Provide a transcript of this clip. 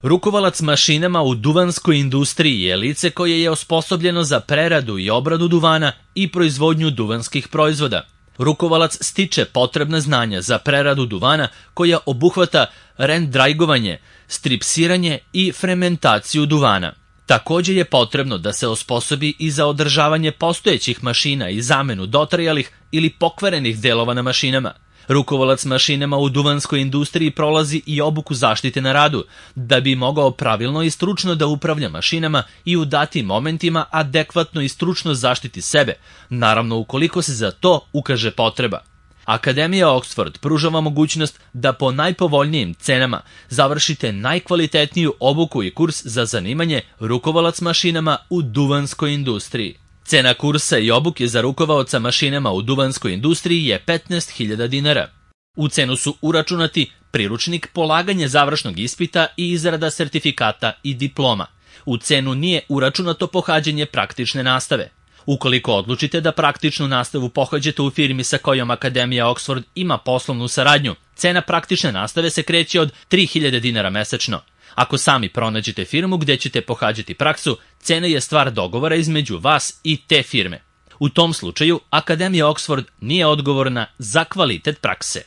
Rukovalac mašinama u duvanskoj industriji je lice koje je osposobljeno za preradu i obradu duvana i proizvodnju duvanskih proizvoda. Rukovalac stiče potrebna znanja za preradu duvana koja obuhvata rendrajgovanje, stripsiranje i fermentaciju duvana. Također je potrebno da se osposobi i za održavanje postojećih mašina i zamenu dotrajalih ili pokvarenih delova na mašinama. Rukovalac mašinama u duvanskoj industriji prolazi i obuku zaštite na radu, da bi mogao pravilno i stručno da upravlja mašinama i u datim momentima adekvatno i stručno zaštiti sebe, naravno ukoliko se za to ukaže potreba. Akademija Oxford pruža vam mogućnost da po najpovoljnijim cenama završite najkvalitetniju obuku i kurs za zanimanje rukovalac mašinama u duvanskoj industriji. Cena kursa i obuke za rukovaoca mašinama u duvanskoj industriji je 15.000 dinara. U cenu su uračunati priručnik, polaganje završnog ispita i izrada sertifikata i diploma. U cenu nije uračunato pohađanje praktične nastave. Ukoliko odlučite da praktičnu nastavu pohađate u firmi sa kojom Akademija Oxford ima poslovnu saradnju, cena praktične nastave se kreće od 3.000 dinara mesečno. Ako sami pronađete firmu gdje ćete pohađati praksu, cena je stvar dogovora između vas i te firme. U tom slučaju, Akademija Oxford nije odgovorna za kvalitet prakse.